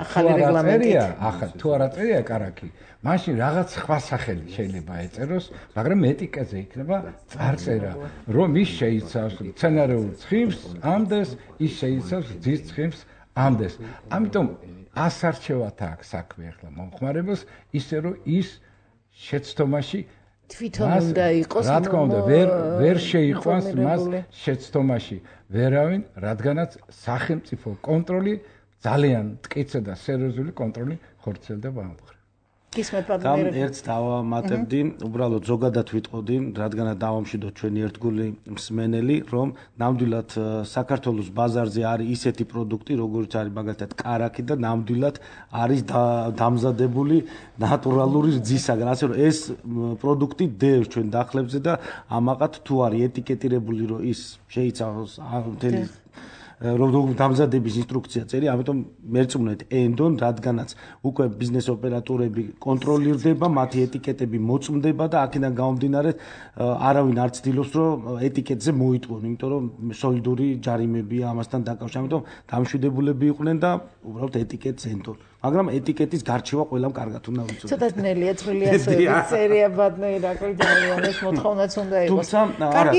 თუ არ აწერია კარაქი, მაშინ რაღაც სხვა სახელი შეიძლება ეწეროს, მაგრამ ეტიკეტზე იქნება წარწერა, რომ ის შეიცავს სცენარეულ ცხიმს, ამდენს, ის შეიცავს რძის ცხიმს, ამდენს. ამიტომ ასარჩევად აქვს საქმე ახლა მომხმარებელს, ისე რომ ის შეცდომაში თვითონ უნდა იყოს, რა თქმა უნდა, ვერ შეიყვანს მას შეცდომაში ვერავინ, რადგანაც სახელმწიფო კონტროლი ძალიან მტკიცე და სერიოზული კონტროლი ხორციელდება ამ მხრივ. ამ ერთს დავამატებდი, უბრალოდ ზოგადად ვიტყოდი, რადგანაც დავამშვიდოთ ჩვენი ერთგული მსმენელი, რომ ნამდვილად საქართველოს ბაზარზე არის ისეთი პროდუქტი, როგორც არის მაგალითად კარაქი და ნამდვილად არის დამზადებული ნატურალური რძისაგან. ასე რომ ეს პროდუქტი დევს ჩვენ დახლებზე და ამაყად თუ არის ეტიკეტირებული, რომ ის შეიცავს მთელი რომ დამზადების ინსტრუქცია წერი, ამიტომ მერწმუნეთ ენდონ, რადგანაც უკვე ბიზნეს ოპერატორები კონტროლირდება, მათი ეტიკეტები მოწმდება და აქედან გამომდინარე არავინ არ ცდილობს, რომ ეტიკეტზე მოიტყონ, იმიტომ რომ სოლიდური ჯარიმებია ამასთან დაკავშირებით, ამიტომ დამშვიდებულები იყვნენ და უბრალოდ ეტიკეტს ენდონ. მაგრამ ეტიკეტის გარჩევა ყველამ კარგად უნდა ვიცოდეთ. ცოტა ძნელია წვრილი ასოების წერია ბატონო ირაკლი ძალიან ეს მოთხოვნაც უნდა იყოს.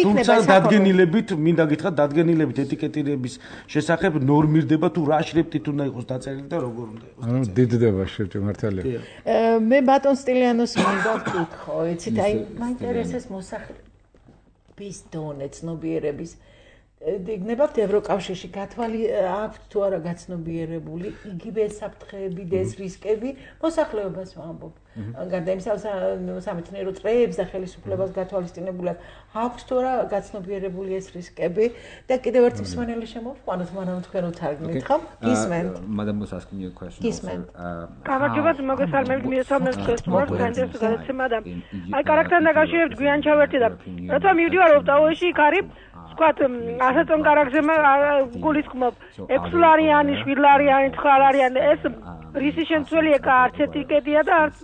თუმცა დადგენილებით, მინდა გითხრათ, დადგენილებით ეტიკეტირების შესახებ ნორმირდება თუ რა შრიფტით უნდა იყოს დაწერილი და როგორ უნდა იყოს. ანუ დიდდება შრიფტი მართალია. მე ბატონ სტილიანოს მინდა ვკითხო, იცით, აი მაინტერესებს მოსახლეობის დონე ცნობიერების იგნებავთ ევროკავშირში გათვალი აქვს თუ არა გაცნობიერებული იგივე საფრთხეები და ეს რისკები მოსახლეობას ვამბობ. გარდა იმისა, სამეცნიერო წრეებს და ხელისუფლებას გათვალისწინებულად აქვს თუ არა გაცნობიერებული ეს რისკები და კიდევ ერთი მსმენელი შემოვყვანოთ, მაგრამ თქვენ უთარგმნით ხომ? გისმენთ? Madam was asking you a question. გისმენთ. გამარჯობათ, მოგესალმებით, მიესალმებით თქვენს მოყოლ საინტერესო გადაცემა და აი კარაქთან დაკავშირებით გვიან ჩავერთი და როცა მივდივარ ოპტაოში იქ არის ვთქვათ, ასეთონ კარაქზე გულისხმობ 6 ლარიანი, 7 ლარიანი, 9 ლარიანი, ეს რისი შემცველია, არც ეტიკეტია და არც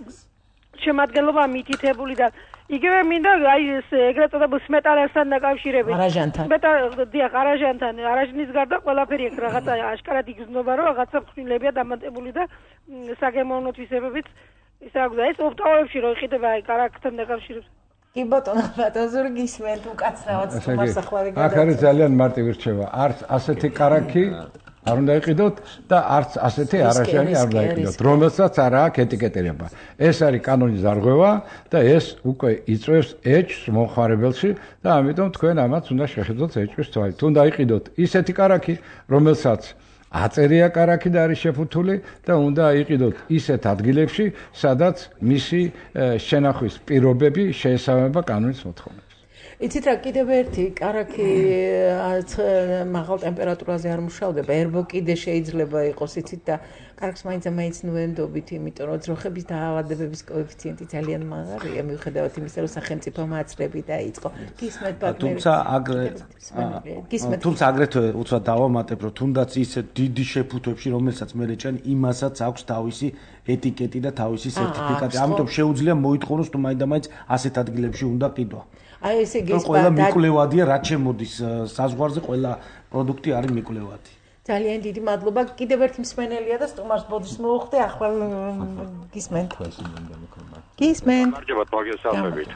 შემადგენლობა მითითებული და იგივე მინდა აი ეს ეგრეთ წოდებულ სმეტალასთან დაკავშირებით. არაჟანთან. დიახ, არაჟანთან, არაჟნის გარდა ყველაფერი აქ რაღაცა აშკარად იგრძნობა, რომ რაღაცა ფრინლებია დამატებული და საგემოვნო თვისებებით ისე აქვს და ეს ოპტაოებში რო იყიდება აი კარაქთან დაკავშირებით. კი ბატონო, ბატონო გისმენთ უკაცრავად მოსახლეობა. აქ არის ძალიან მარტივი რჩევა. არც ასეთი კარაქი არ უნდა იყიდოთ და არც ასეთი არაჟანი არ უნდა იყიდოთ, რომელსაც არ აქვს ეტიკეტირება. ეს არის კანონის დარღვევა და ეს უკვე იწვევს ეჭვს მომხმარებელში და ამიტომ თქვენ ამაც უნდა შეხედოთ ეჭვის თვალით. უნდა იყიდოთ ისეთი კარაქი, რომელსაც აწერია კარაქი და არის შეფუთული და უნდა იყიდოთ ისეთ ადგილებში, სადაც მისი შენახვის პირობები შეესაბამება კანონის მოთხოვნებს. იცით რა, კიდევ ერთი კარაქი მაღალ ტემპერატურაზე არ მუშავდება, ერბო კიდე შეიძლება იყოს, იცით და კარაქს მაინც ნუენდობით, იმიტომ რომ ძროხების დაავადებების კოეფიციენტი ძალიან მაღალია, მიუხედავად იმისა, რომ სახელმწიფო მაცრები დაიწყო. გისმენთ ბატონო. თუმცა აგრეთვე უცბად დავამატებ, რომ თუნდაც ისე დიდი შეფუთვებში, რომელსაც მე ჩვენ იმასაც აქვს თავისი ეტიკეტი და თავისი სერტიფიკატი. ამიტომ შეუძლია მოითხოვოს თუ მაინდა-მაინც ასეთ ადგილებში უნდა ყიდვა. აი ესე იგი ყველა მიკვლევადია, რაც შემოდის საზღვარზე, ყველა პროდუქტი არის მიკვლევადი. ძალიან დიდი მადლობა. კიდევ ერთი მსმენელია და სტუმარს ბოდიშს მოუხდი, ახლა გისმენთ. გისმენთ. გამარჯობათ, მოგესალმებით.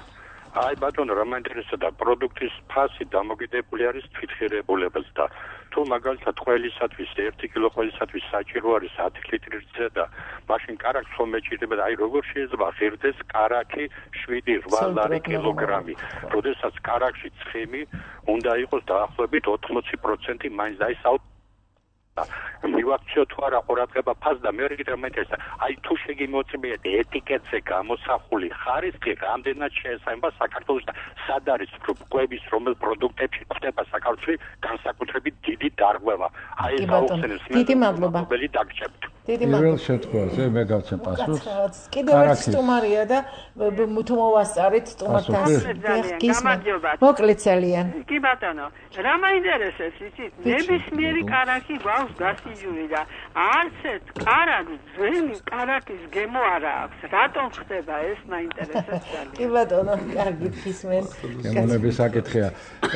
აი ბატონო, რა მაინტერესებდა პროდუქტის ფასი დამოკიდებული არის თვითღირებულებაზე და თუ მაგალითად ყველისათვის 1 კილო ყველისათვის საჭირო არის 10 ლიტრი რძე და მაშინ კარაქს ხომ მეჭირდება და აი როგორ შეიძლება ღირდეს კარაქი 7-8 ლარი კილოგრამი, როდესაც კარაქში ცხიმი უნდა იყოს დაახლოებით 80% მაინც და ის მივაქციო თუ არა ყურადღება ფასს და მეორე კიდევ მეტესა აი თუ შეგიმოწმიეთ ეტიკეტზე გამოსახული ხარისხი რამდენად შეესაბამება საქართველოს და სად არის კვების რომელ პროდუქტებში ხდება საქართველოში განსაკუთრებით დიდი დარღვევა აი ეს აუხსენებს დიდი მადლობა დაგჭებთ პირველ შემთხვევაში მე გავცემ პასუხს კიდევ ერთ სტუმარია და თუ მოვასწარით სტუმართან გამარჯობა მოკლედ ძალიან კი ბატონო რა მაინტერესებს იცით ნებისმიერი კარაქი გვაქვს გასიჯული და არც ერთ კარაქს ძველი კარაქის გემო არა აქვს რატომ ხდება ეს მაინტერესებს ძალიან კი ბატონო კარგი გისმენ გემონების საკითხია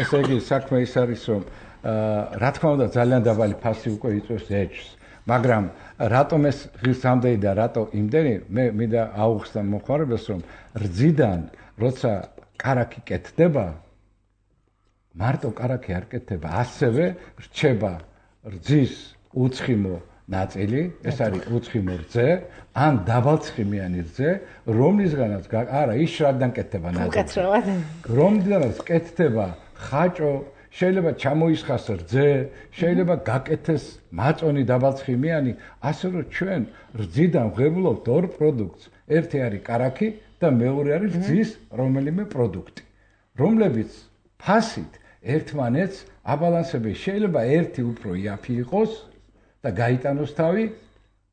ესე იგი საქმე ის არის რომ რა თქმა უნდა ძალიან დაბალი ფასი უკვე იწვევს ეჭვს მაგრამ რატომ ეს ღირსამდენი და რატო იმდენი მე მინდა აუხსნა მოხარებელს რომ რძიდან როცა კარაქი კეთდება მარტო კარაქი არ კეთდება ასევე რჩება რძის უცხიმო ნაწილი ეს არის უცხიმო რძე ან დაბალცხიმიანი რძე რომლისგანაც არა ის რადგან კეთდება ნაწილი რომლისგანაც კეთდება ხაჭო შეიძლება ჩამოისხას რძე, შეიძლება გაკეთეს მაწონი დაბალცხიმიანი, ასე რომ ჩვენ რძიდან ვღებულობთ ორ პროდუქტს. ერთი არის კარაქი და მეორე არის რძის რომელიმე პროდუქტი, რომლებიც ფასით ერთმანეთს აბალანსებენ. შეიძლება ერთი უფრო იაფი იყოს და გაიტანოს თავი,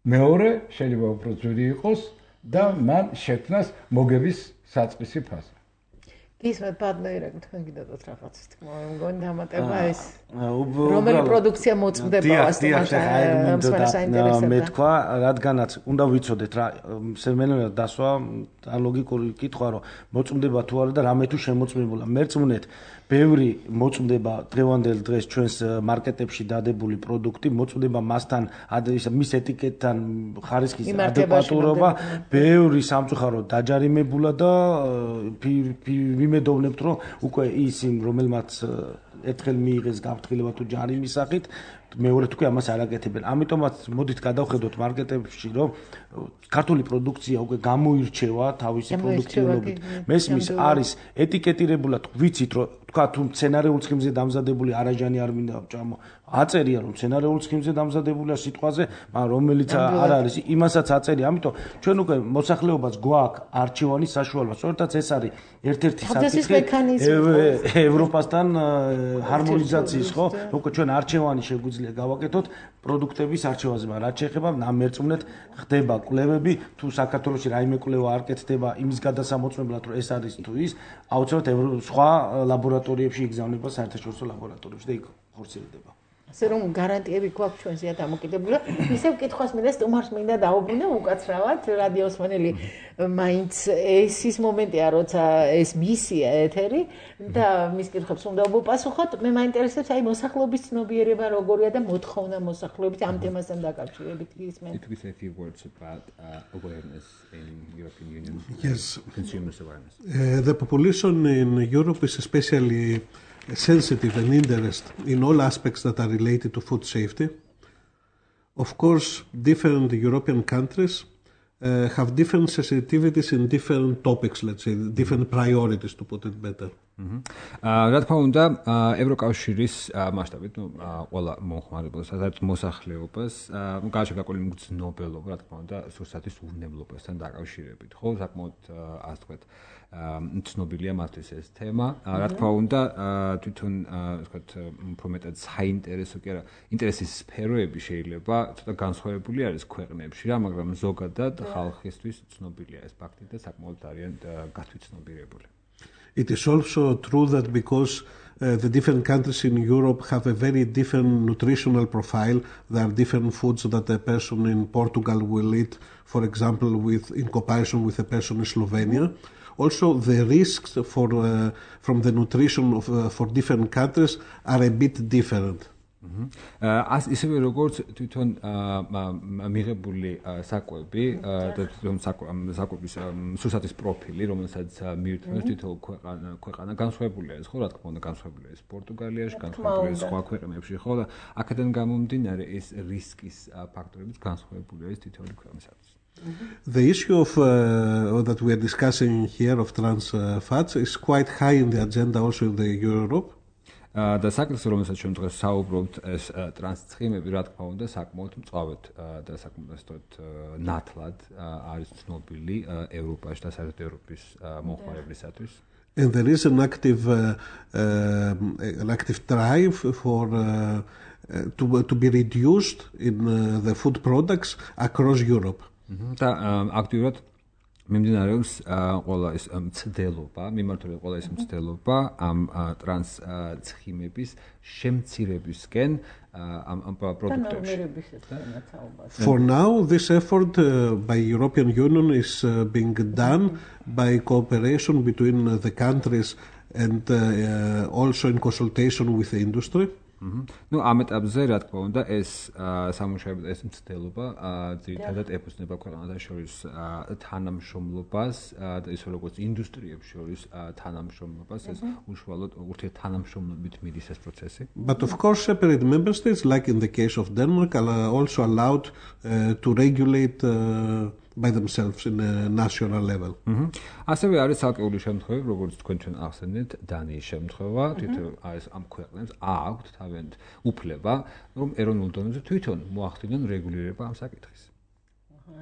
მეორე შეიძლება უფრო ძვირი იყოს და მან შექმნას მოგების საწყისი ფასი. ისმეთ პარტნიორები თქვენ გიდადოთ რაღაც თქმა უნდა მგონი დამატება ეს რომელი პროდუქცია მოწმდება მე თქვა რადგანაც უნდა ვიცოდეთ რა სემენელად დასვა ლოგიკური კითხვა რომ მოწმდება თუ არა და რამე თუ შემოწმებულა მერწმუნეთ ბევრი მოწმდება დღევანდელ დღეს ჩვენს მარკეტებში დადებული პროდუქტი მოწმდება მასთან მის ეტიკეტთან ხარისხის ადეკვატურობა ბევრი სამწუხაროდ დაჯარიმებულა და ვიმედოვნებთ რომ უკვე ის იმ რომელმაც ერთხელ მიიღეს გაფრთხილება თუ ჯარიმის სახით მეორე თქვი ამას არ აკეთებენ. ამიტომაც მოდით გადავხედოთ მარკეტებში რომ ქართული პროდუქცია უკვე გამოირჩევა თავისი პროდუქტიულობით. მესმის არის ეტიკეტირებულად ვიცით რომ თქვა თუ მცენარეულ ცხიმზე დამზადებული არაჟანი არ მინდა ჭამო აწერია რომ მცენარეულ ცხიმზე დამზადებულია სიტყვაზე, მაგრამ რომელიც არ არის იმასაც აწერია. ამიტომ ჩვენ უკვე მოსახლეობას გვაქვს არჩევანი საშუალება. სწორედაც ეს არის ერთ-ერთი საკითხი ევროპასთან ჰარმონიზაციის ხო? უკვე ჩვენ არჩევანი შეგვიძლია გავაკეთოთ პროდუქტების არჩევაზე, მაგრამ რაც შეეხება მერწმუნეთ ხდება კვლევები, თუ საქართველოში რაიმე კვლევა არ კეთდება იმის გადასამოწმებლად რომ ეს არის თუ ის, აუცილებლად სხვა ლაბორატორიებში იგზავნება საერთაშორისო ლაბორატორიებში და იქ ხორციელდება. ასე რომ გარანტიები გვაქვს ჩვენზეა დამოკიდებული. ისევ კითხვას მინდა სტუმარს მინდა დაუბრუნო უკაცრავად რადიოს მენელი მაინც ეს ის მომენტია როცა ეს მისია ეთერი და მის კითხვებს უნდა უპასუხოთ. მე მაინტერესებს აი მოსახლეობის ცნობიერება როგორია და მოთხოვნა მოსახლეობის ამ თემასთან დაკავშირებით ისმენ. It was a few words about awareness in European Union. Yes. Consumers awareness. The population in Europe is especially sensitive and interest in all aspects that are related to food safety. Of course, different European countries have different sensitivities in different topics, let's say, different priorities, to put it better. რა თქმა უნდა, ევროკავშირის მასშტაბით, ყველა მომხმარებელს, სადაც მოსახლეობას, გარშემოყოლი მგრძნობელობა, რა თქმა უნდა, სურსათის უვნებლობასთან დაკავშირებით, ხო, საკმაოდ ასე ვთქვათ, ცნობილია მათთვის ეს თემა. რა თქმა უნდა, თვითონ ვთქვათ, უფრო მეტად საინტერესო კი არა, ინტერესის სფეროები შეიძლება ცოტა განსხვავებული არის ქვეყნებში რა, მაგრამ ზოგადად ხალხისთვის ცნობილია ეს ფაქტი და საკმაოდ არიან გათვითცნობიერებული. It is also true that because the different countries in Europe have a very different nutritional profile, there are different foods that a person in Portugal will eat, for example, in comparison with a person in Slovenia. Also, the risks from the nutrition for different countries are a bit different. ისევე როგორც თვითონ მიღებული საკვები და თვითონ საკვების სურსათის პროფილი, რომელსაც მიირთმევს თვითონ ქვეყანა განსხვავებულია ეს, ხო, რა თქმა უნდა, განსხვავებულია ეს პორტუგალიაში, განსხვავებულია სხვა ქვეყნებში, ხო, და აქედან გამომდინარე ეს რისკის ფაქტორებიც განსხვავებულია ეს თითოეული ქვეყნისათვის. The issue that we are discussing here of trans fats is quite high in the agenda also in the Europe. და საკითხი რომელსაც ჩვენ დღეს საუბრობთ ეს ტრანსცხიმები რა თქმა უნდა საკმაოდ მწვავედ და საკმაოდ ნათლად არის ცნობილი ევროპაში და საერთოდ ევროპის მომხმარებლისათვის. And there is an active drive for to be reduced in the food products across Europe. და აქტიურად მიმდინარეობს ყველა ეს მცდელობა, მიმართული ყველა ეს მცდელობა ამ ტრანსცხიმების შემცირებისკენ ამ პროდუქტებში. For now, this effort by European Union is being done by cooperation between the countries and also in consultation with the industry. ნუ ამ ეტაპზე რა თქმა უნდა ეს სამუშაო ეს მცდელობა ძირითადად ეფუძნება ქვეყანათა შორის თანამშრომლობას და ისე როგორც ინდუსტრიებს შორის თანამშრომლობას ეს უშუალოდ ურთიერთთანამშრომლობით მიდის ეს პროცესი. But of course separate member states like in the case of Denmark are also allowed to regulate by themselves in a national level. ასევე არის ცალკეული შემთხვევები, როგორც თქვენ ჩვენ ახსენეთ, დანიის შემთხვევა, თვითონ არის ამ ქვეყნებს აქვთ თავიანთ უფლება, რომ ეროვნულ დონეზე თვითონ მოახდინონ რეგულირება ამ საკითხის.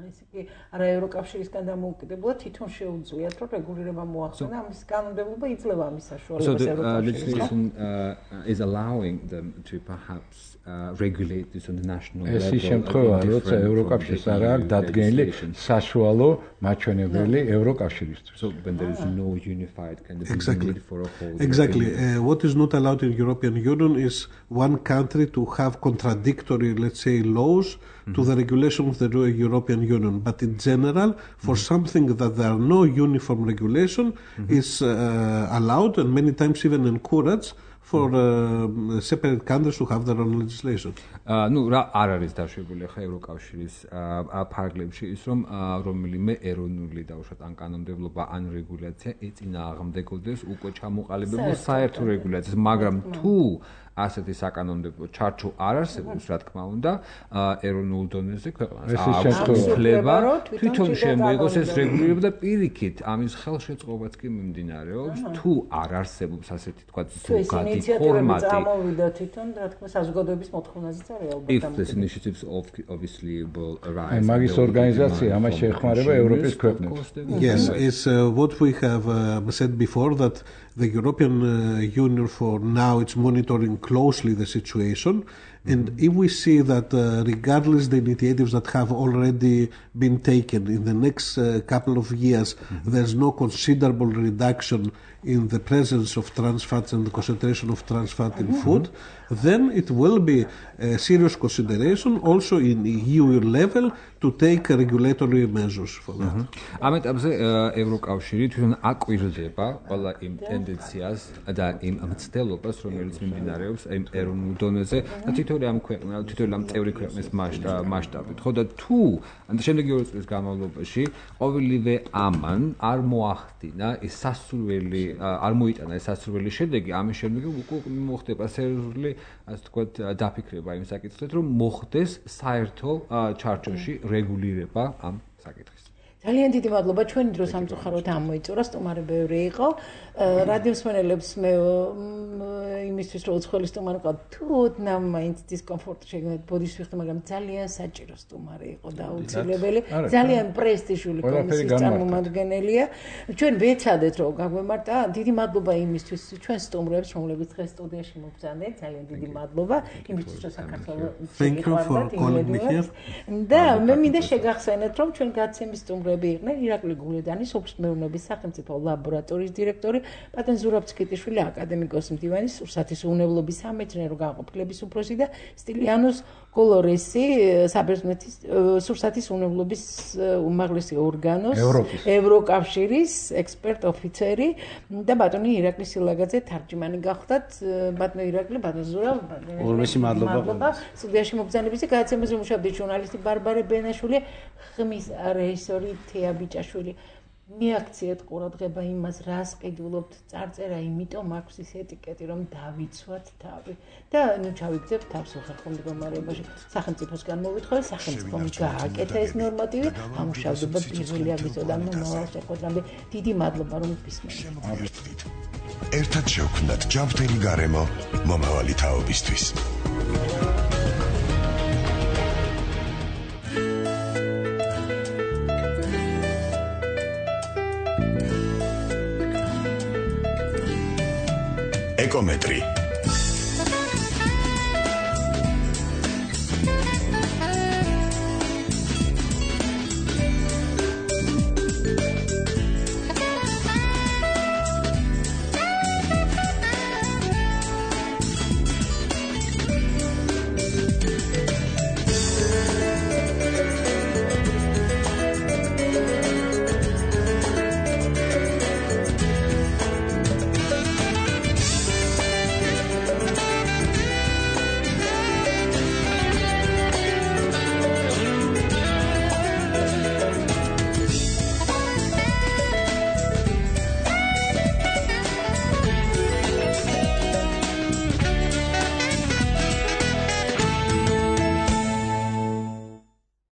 ეს კი არა ევროკავშირისგან დამოუკიდებლად თვითონ შეუძლიათ რომ რეგულირება მოახდინონ ამის კანონმდებლობა იძლევა ამის საშუალებას legislation is allowing them to perhaps regulate this on the national level. ეს შემთხვევა როცა ევროკავშირის არ აქვს დადგენილი საშუალო მაჩვენებელი ევროკავშირისთვის. So when there is no unified kind of Exactly. for a whole. Exactly. What is not allowed in European Union is one country to have contradictory, let's say, laws to the regulation of the European Union. But in general, for something that there are no uniform regulation is allowed and many times even encouraged for separate countries to have their own legislation. ნუ რა არ არის დაშვებული ხა ევროკავშირის ფარგლებში ის რომ რომელიმე ეროვნული დაუშვათ ან კანონმდებლობა ან რეგულაცია ეწინააღმდეგოდეს უკვე ჩამოყალიბებულ საერთო რეგულაციას, მაგრამ თუ ასეთი საკანონმდებლო ჩარჩო არ არსებობს, რა თქმა უნდა, ეროვნულ დონეზე ქვეყანას აქვს უფლება თვითონ შემოიღოს ეს რეგულირება და პირიქით ამის ხელშეწყობაც კი მიმდინარეობს, თუ არ არსებობს ასეთი თქვა ზოგადი ფორმატი. წამოვიდა თვითონ, რა თქმა უნდა, საზოგადოების მოთხოვნაზეც არის ალბათ. If this initiatives obviously will arise. მაგის ორგანიზაცია ამას შეეხმარება ევროპის ქვეყნებს. Yes, it's what we have said before that the European Union for now it's monitoring closely the situation. And if we see that regardless the initiatives that have already been taken in the next couple of years, there's no considerable reduction in the presence of trans fats and the concentration of trans fat in food, then it will be a serious consideration also in EU level to take regulatory measures for that. ამ ეტაპზე ევროკავშირი თვითონ აკვირდება ყველა იმ ტენდენციას და იმ მცდელობას, რომელიც მიმდინარეობს იმ ეროვნულ დონეზე და თითოეული ამ ქვეყნა, თითოეული ამ წევრი ქვეყნის მასშტაბით. ხო და თუ შემდეგი 2 წლის განმავლობაში ყოველივე ამან არ მოახდინა ეს სასურველი არ მოიტანა ეს სასურველი შედეგი, ამის შემდეგ უკვე მოხდება სერიოზული ასე ვთქვათ დაფიქრება იმ საკითხით, რომ მოხდეს საერთო ჩარჩოში რეგულირება ამ საკითხის. ძალიან დიდი მადლობა ჩვენი დრო სამწუხაროდ ამოიწურა, სტუმარი ბევრი იყო. რადიოს მსმენელებს მე იმისთვის რომ უცხოელი სტუმარი ყავ, თუ ოდნავ მაინც დისკომფორტი შეგნათ ბოდიშს ვიხდი, მაგრამ ძალიან საჭირო სტუმარი იყო და აუცილებელი, ძალიან პრესტიჟული კომისიის წარმომადგენელია. ჩვენ ვეცადეთ რომ გაგვემართა. დიდი მადლობა იმისთვის ჩვენ სტუმრებს, რომლებიც დღეს სტუდიაში მოგზავნეთ. ძალიან დიდი მადლობა იმისთვის რომ საქართველოს და მე მინდა შეგახსენეთ რომ ჩვენ გაცემის სტუმრები იყვნენ ირაკლი გულედანი, სოფლის მეურნეობის სახელმწიფო ლაბორატორიის დირექტორი, პატენ ზურაბ ცკიტიშვილი, აკადემიკოსი მდივანი, სურსათის უვნებლობის სამეცნიერო განყოფილების უფროსი და სტილიანოს კოლორესი, საბერძნეთის სურსათის უვნებლობის უმაღლესი ორგანოს, ევროკავშირის ექსპერტ ოფიცერი და ბატონი ირაკლი სილაგაძე თარჯიმანი გახდათ. ბატონი ირაკლი, ბატონ ზურაბ, ორმესი მადლობა. სტუდიაში მოგზავნების და გადაცემაზე მუშაობდი ჟურნალისტი ბარბარე ბენაშვილი, ხმის რეჟისორი თეა ბიჭაშვილი. მიაქციეთ ყურადღება იმას, რას ყიდულობთ, წარწერა იმიტომ აქვს ის ეტიკეტი, რომ დავიცვათ თავი და ჩავიგდებ თავს უხერხო მდგომარეობაში. სახელმწიფოსგან მოვითხოვე, სახელმწიფომ გააკეთა ეს ნორმატივი, ამუშავდება პირველი აგვისტოდან მომავალ შეხვედრამდე. დიდი მადლობა, რომ გისმენთ. ერთად შევქმნათ ჯანმრთელი გარემო მომავალი თაობისთვის. ეკომეტრი